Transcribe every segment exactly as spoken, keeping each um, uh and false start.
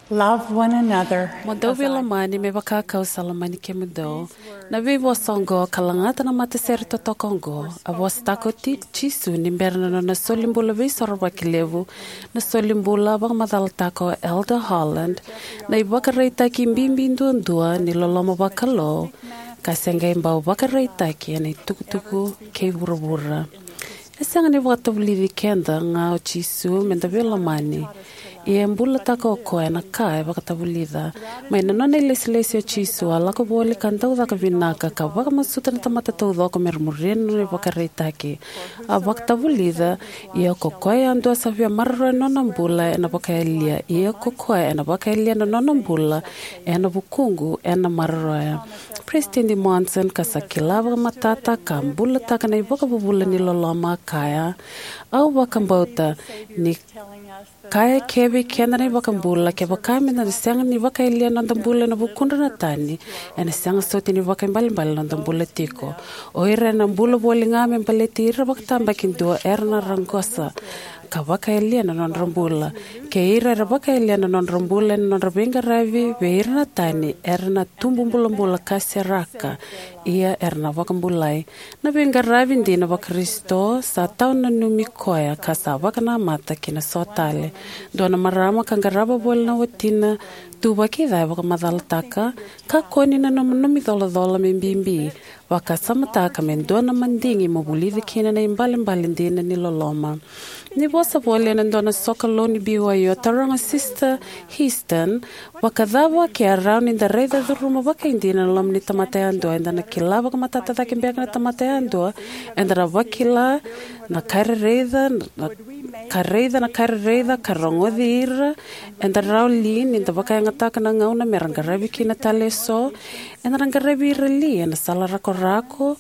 Love one another. Mo dou veilomani me vaka kau sa lomani kemudou. Na veivosa oqo ka lagata na matasere totoka oqo a vosataka o Jisu ni bera na nona solibula veisorovaki levu, na solibula vakamacalataka o Elder Holland, na ivakaraitaki bibi duadua ni loloma vakalou, ka se qai bau vakaraitaki ena itukutuku kei vuravura. E sega ni vakatavulici keda ga o Jisu me da veilomani, ia e bulataka o koya na ka e vakatavulica. Mai na nona ilesilesi o Jisu a lako voli ka dau caka vinaka ka vakamasuta na tamata taucoko me ra muria na nona ivakaraitaki. A vakatavulica, ia ko koya yadua sa via maroroya na nona bula ena vakayalia, ia ko koya ena vakayalia na nona bula ena vukuqu ena maroroya. Peresitedi Monson, ka sa kila vakamatata ka bulataka na ivakavuvula ni loloma, a kaya, au vakabauta ni kaya kevei keda na iVakabula, kevaka me da na sega ni vakayalia noda bula ena vukudra na tani, ena sega soti ni vakaibalebale noda bula tiko. O ira ena bula voli ga me baleti ira vakatabakidua era na raqosa ka vakayalia na nodra bula. Kei ira era vakayalia na nodra bula ena nodra veiqaravi vei ira na tani, era na tubu bulabula ka seraka, ia era na vakabulai. Na veiqaravi dina vaKarisito sa tawa nanumi koya ka sa vakanamata ki na so tale. Dua na marama ka qarava voli na watina tu vakica e vakamacalataka, kakua ni nanuma nomu icolacola me bibi, vakasamataka me dua na madigi mo vulica kina na ibalebale dina ni loloma. Ni vosa voli ena dua na sokalou ni B Y U, a taroga Sister Heaston, vakacava ke a rawa ni da raica curuma vakaidina na loma ni tamata yadua? Eda na kila vakamatata cake beka na tamata yadua? Eda na vakila na ka e raica, na ka raica, na ka raica, ka rogoci ira? Eda rawa li ni da vakayagataka na gauna me ra qaravi kina tale eso? Eda na qaravi ira li ena sala rakorako?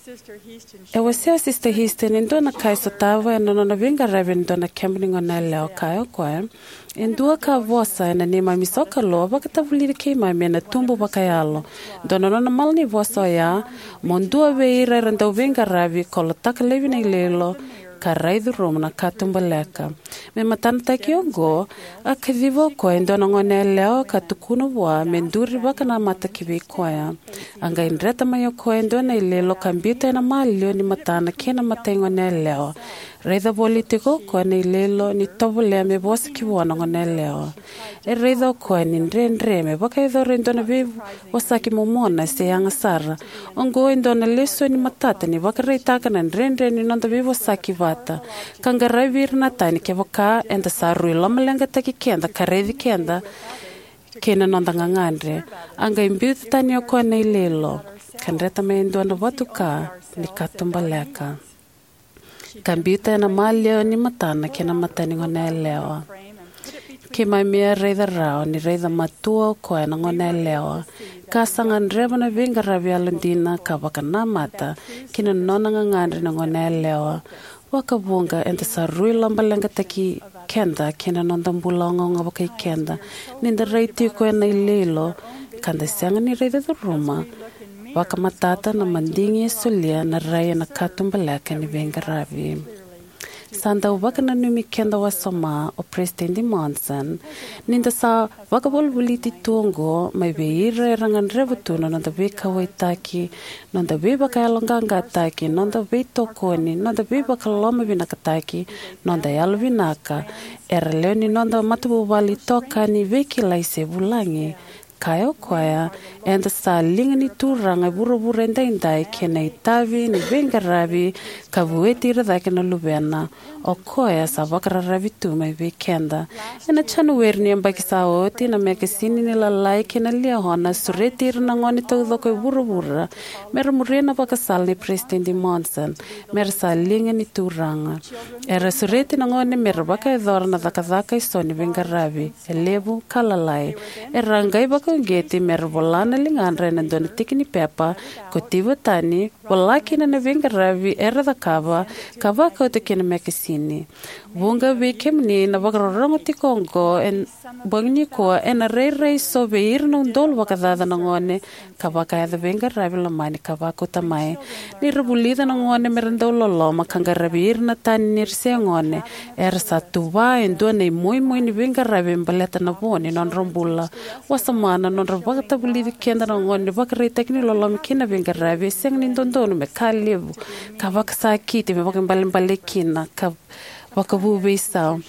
E wasea o Sister Heaston e dua na ka e sotava ena nona veiqaravi ena dua na keba ni goneyalewa. Kaya o koya, e dua ka vosa ena neimami sokalou a vakatavulici keimami ena tubu vakayalo. Dua na nona malanivosa oya, mo dua vei ira era dau veiqaravi, kolotaka laivi na iloilo, ka rai curuma na katubaleka. Me matanataki oqo, a kaciva o koya e dua na goneyalewa ka tukuna vua me duri vakanamata ki vei koya. A qai dreta mai o koya e dua na iloilo ka biuta ena maliwa ni matana kei na mata ni goneyalewa. Raica voli tiko o koya na iloilo ni tovolea me vosa ki vua na goneyalewa. E raica o koya ni dredre me vakayacora e dua na veivosaki momona se yaga sara. Oqo e dua na lesoni matata ni vakaraitaka na dredre ni noda veivosaki vata ka qaravi ira na tani. Kevaka eda sa rui lomaleqataki keda ka raici keda kei na noda gagadre. A qai biuta tani o koya na iloilo ka dreta mai e dua na vatuka ni katubaleka, ka biuta ena maliwa ni matana kei na mata ni goneyalewa. Keimami a raica rawa ni raica matua o koya na goneyalewa, ka sa gadreva na veiqaravi yalodina ka vakanamata ki na nona gagadre na goneyalewa. Vakavuqa eda sa rui lomaleqataki keda kei na noda bula ogaoga vakai keda ni da rai tiko ena iloilo ka da sega ni raica curuma vakamatata na madigi e solia na rai ena katubaleka ni veiqaravi. Sa dau vakananumi keda wasoma o Peresitedi Monson ni da sa vakavolivoliti tu oqo mai vei ira era gadreva tu na noda veikauwaitaki, noda veivakayaloqaqataki, noda veitokoni, noda veivakalomavinakataki, noda yalovinaka. Era lewe ni noda matavuvale itokani, veikilai se vulagi. Kaya o koya, eda sa liga ni Turaga e vuravura edaidai kei na itavi ni veiqaravi ka vueti ira cake na luvena. O koya sa vakararavi tu mai vei keda. Ena Janueri ni yabaki sa oti, na mekasini ni Lalai kei na Liahona a sureti ira na gone taucoko e vuravura me ra muria na vakasala nei Peresitedi Monson, me ra sa liga ni Turaga. Era sureti na gone me ra vakayacora na cakacaka eso ni veiqaravi, e levu ka lalai. Era qai uqeti me ra vola na ligadra ena dua na tiki ni pepa, kotiva tani, vola kina na veiqaravi era cakava, ka vakauta ki na mekasini. Vuqa vei kemuni na vakarorogo tiko oqo ena bogi nikua, ena rairai so vei ira na udolu vakacaca na gone, ka vakayaco veiqaravi lomani ka vakauta mai. Ni ra vulica na gone me ra dau loloma ka qaravi ira na tani ni ra se gone, era sa tuva e dua na imoimoi ni veiqaravi me baleta na vo ni nodra bula. Wasoma na nodra vakatavulici keda na gone ni vakaraitaki ni loloma kei na veiqaravi e sega ni dodonu me ka levu ka vakasakiti me vakaibalebale kina ka vakavu veisau.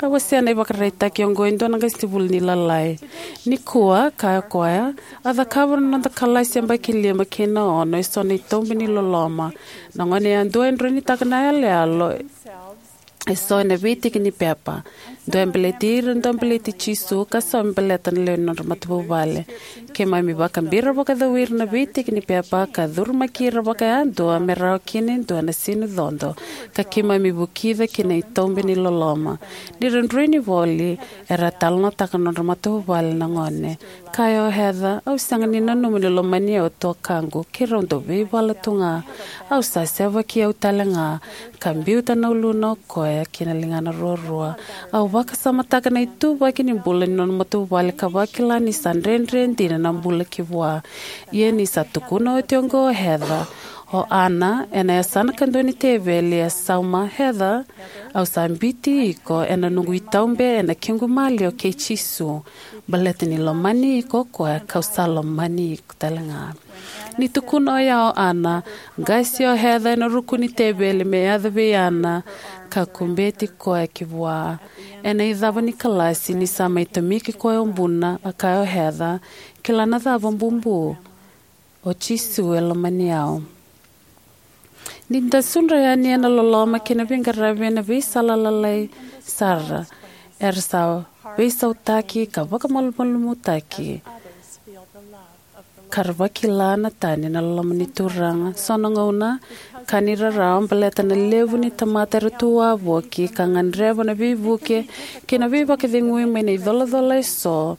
A wasea na ivakaraitaki oqo e dua na qasenivuli ni lalai. Nikua, kaya o koya, a cakava na noda kalasi yabaki lima kei na ono eso na itaube ni loloma. Na gone yadua e droinitaka na yaloyalo eso ena veitiki ni pepa. Dua e baleti ira, dua e baleti Jisu, ka so me baleta na lewe ni nodra matavuvale. Keimami vakabira vakacau ira na veitiki ni pepa ka curumaki ira vakayadua me rawa kina e dua na sinu codo, ka keimami vukica ki na itaube ni loloma. Ni ra droini voli, era talanoataka na nodra matavuvale na gone. Kaya o Heather, au sega ni nanuma ni lomani au tuakaqu, keirau dau veivala tu ga. Au sa sevaki au tale ga, ka biuta na uluna o koya ki na ligana ruarua. Au vakasamataka na ituvaki ni bula ni nona matavuvale ka vakila ni sa dredre dina na bula ki vua. Ia ni sa tukuna oti oqo o Heather, o Ana, ena yasana kadua ni teveli, e sauma, Heather, au sa biuti iko ena noqu itaube ena kequ maliwa kei Jisu. Baleta ni lomani iko o koya, kau sa lomani iko tale ga. Ni tukuna oya o Ana, qasi o Heather ena ruku ni teveli me yaco vei Ana, ka kubeti koya ki vua. Ena icava ni kalasi, ni sa mai tomiki koya o buna, a kaya o Heather, kila na cava, bubu? O Jisu e lomani au. Ni da sudra yani ena loloma kei na veiqaravi ena veisala lalai sara, era sa veisautaki ka vakamalumalumutaki, ka ra vakila na tani na loloma ni Turaga. So na gauna, ka ni rarawa baleta na levu ni tamata era tu wavoki ka gadreva na veivuke kei na veivakacegui mai na icolacola eso,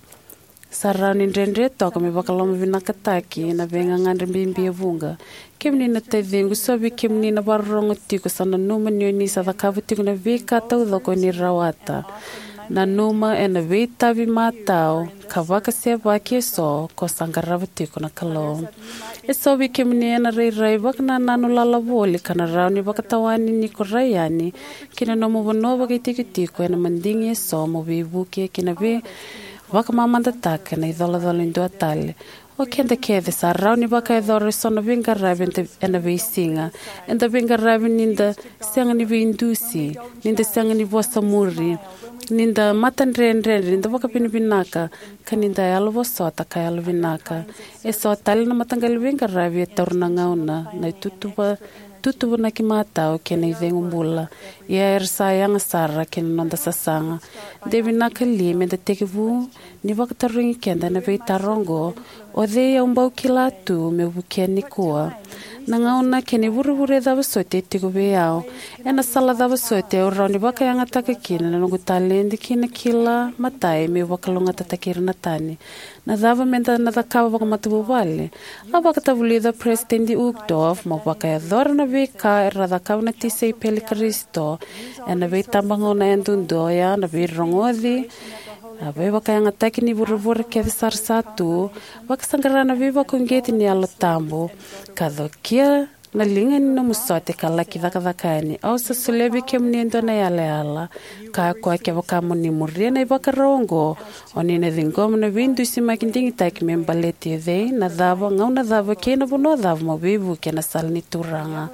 sa rawa ni dredre toka me vakalomavinakataki na veigagadre bibi e vuqa. Kemuni na taciqu, so vei kemuni na vakarorogo tiko sa nanuma ni o ni sa cakava tiko na veika taucoko o ni rawata. Nanuma ena veitavi matau ka vakasevaki eso ko sa qarava tiko na Kalou. Eso vei kemuni ena rairai vakanananu lala voli ka na rawa ni vakatawani ni ko rai yani ki na nomu vanua vakaitikotiko ena madigi eso mo veivuke ki na vei vakamamadataka na icolacola e dua tale. O keda kece sa rawa ni vakayacora eso na veiqaravi eda, ena veisiga. Eda veiqaravi ni da sega ni veidusi, ni da sega ni vosa muri, ni da matadredredre, ni da vakavinavinaka, ka ni da yalovosota ka yalovinaka. Eso tale na mataqali veiqaravi e taura na gauna, na itutuva tuvatuvanaki matau kei na icegu bula. Ia era sa yaga sara kei na noda sasaga. De vinaka li meda tekivu ni vakatarogi keda na veitaro oqo, o cei au bau kila tu meu vukea nikua? Na gauna kei na ivurevure cava soti e tiko vei au? Ena sala cava soti au rawa ni vakayagataka kina na noqu taledi kei na kila matai meu vakalougatataki ira na tani? Na cava meda na cakava vakamatavuvale? A vakatavulica o Peresitedi Uchtdorf, mo vakayacora na veika era cakava na tisaipeli i Karisito ena veitabagauna yadudua, oya na veirogoci, na veivakayagataki ni vurevure kece sara sa tu, vakasaqara na veivakauqeti ni Yalo Tabu, ka cokia na liga ni nomu sote ka laki cakacaka yani. Au sa solia vei kemuni e dua na yalayala. Kaya o koya, kevaka mo ni muria na ivakarau oqo, o ni na ciqoma na veidusimaki digitaki me baleti o cei, na cava, gauna cava kei na vanua cava mo veivuke ena sala ni Turaga.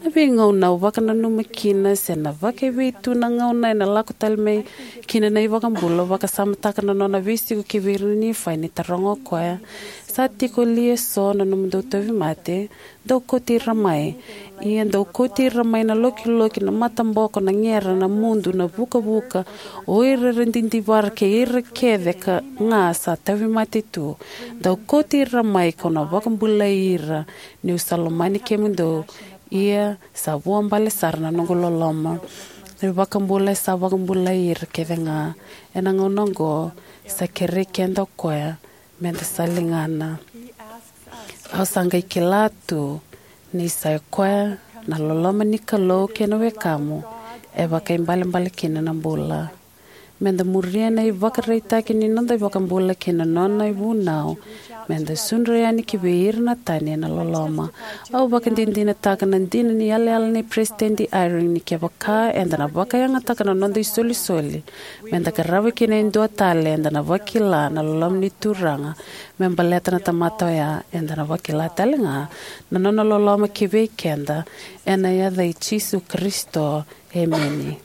Na veigauna au vakananuma kina se na vakaevei tu na gauna ena lako tale mai kina na iVakabula, au vakasamataka na nona veisiko kivei ira na Nifai ni taroga o koya, sa tiko li eso na nomudou tauvimate? Dou kauti ira mai. Ia dou kauti ira mai na lokiloki, na mataboko, na gera, na mudu, na vukavuka, o ira era didivara kei ira kece ka ga sa tauvimate tu. Dou kauti ira mai, kau na vakabulai ira, niu sa lomani kemudou. Ia sa vuabale sara na noqu loloma. Na iVakabula e sa vakabulai ira kece ga. Ena gauna oqo, sa kerei keda o koya Me da sa ligana. Au sa qai kila tu ni sa i koya na loloma ni Kalou kei na wekamu e vakaibalebale kina na bula. Me da muria na ivakaraitaki ni noda iVakabula kei na nona ivunau me da sudra yani ki vei ira na tani ena loloma. Au vakadinadinataka na dina ni yalayala nei Peresitedi Eyring ni kevaka eda na vakayagataka na noda isolisoli me da qarava kina e dua tale, eda na vakila na loloma ni Turaga me baleta na tamata oya. Eda na vakila talega na nona loloma ki vei keda. Ena yaca i Jisu Karisito, emeni.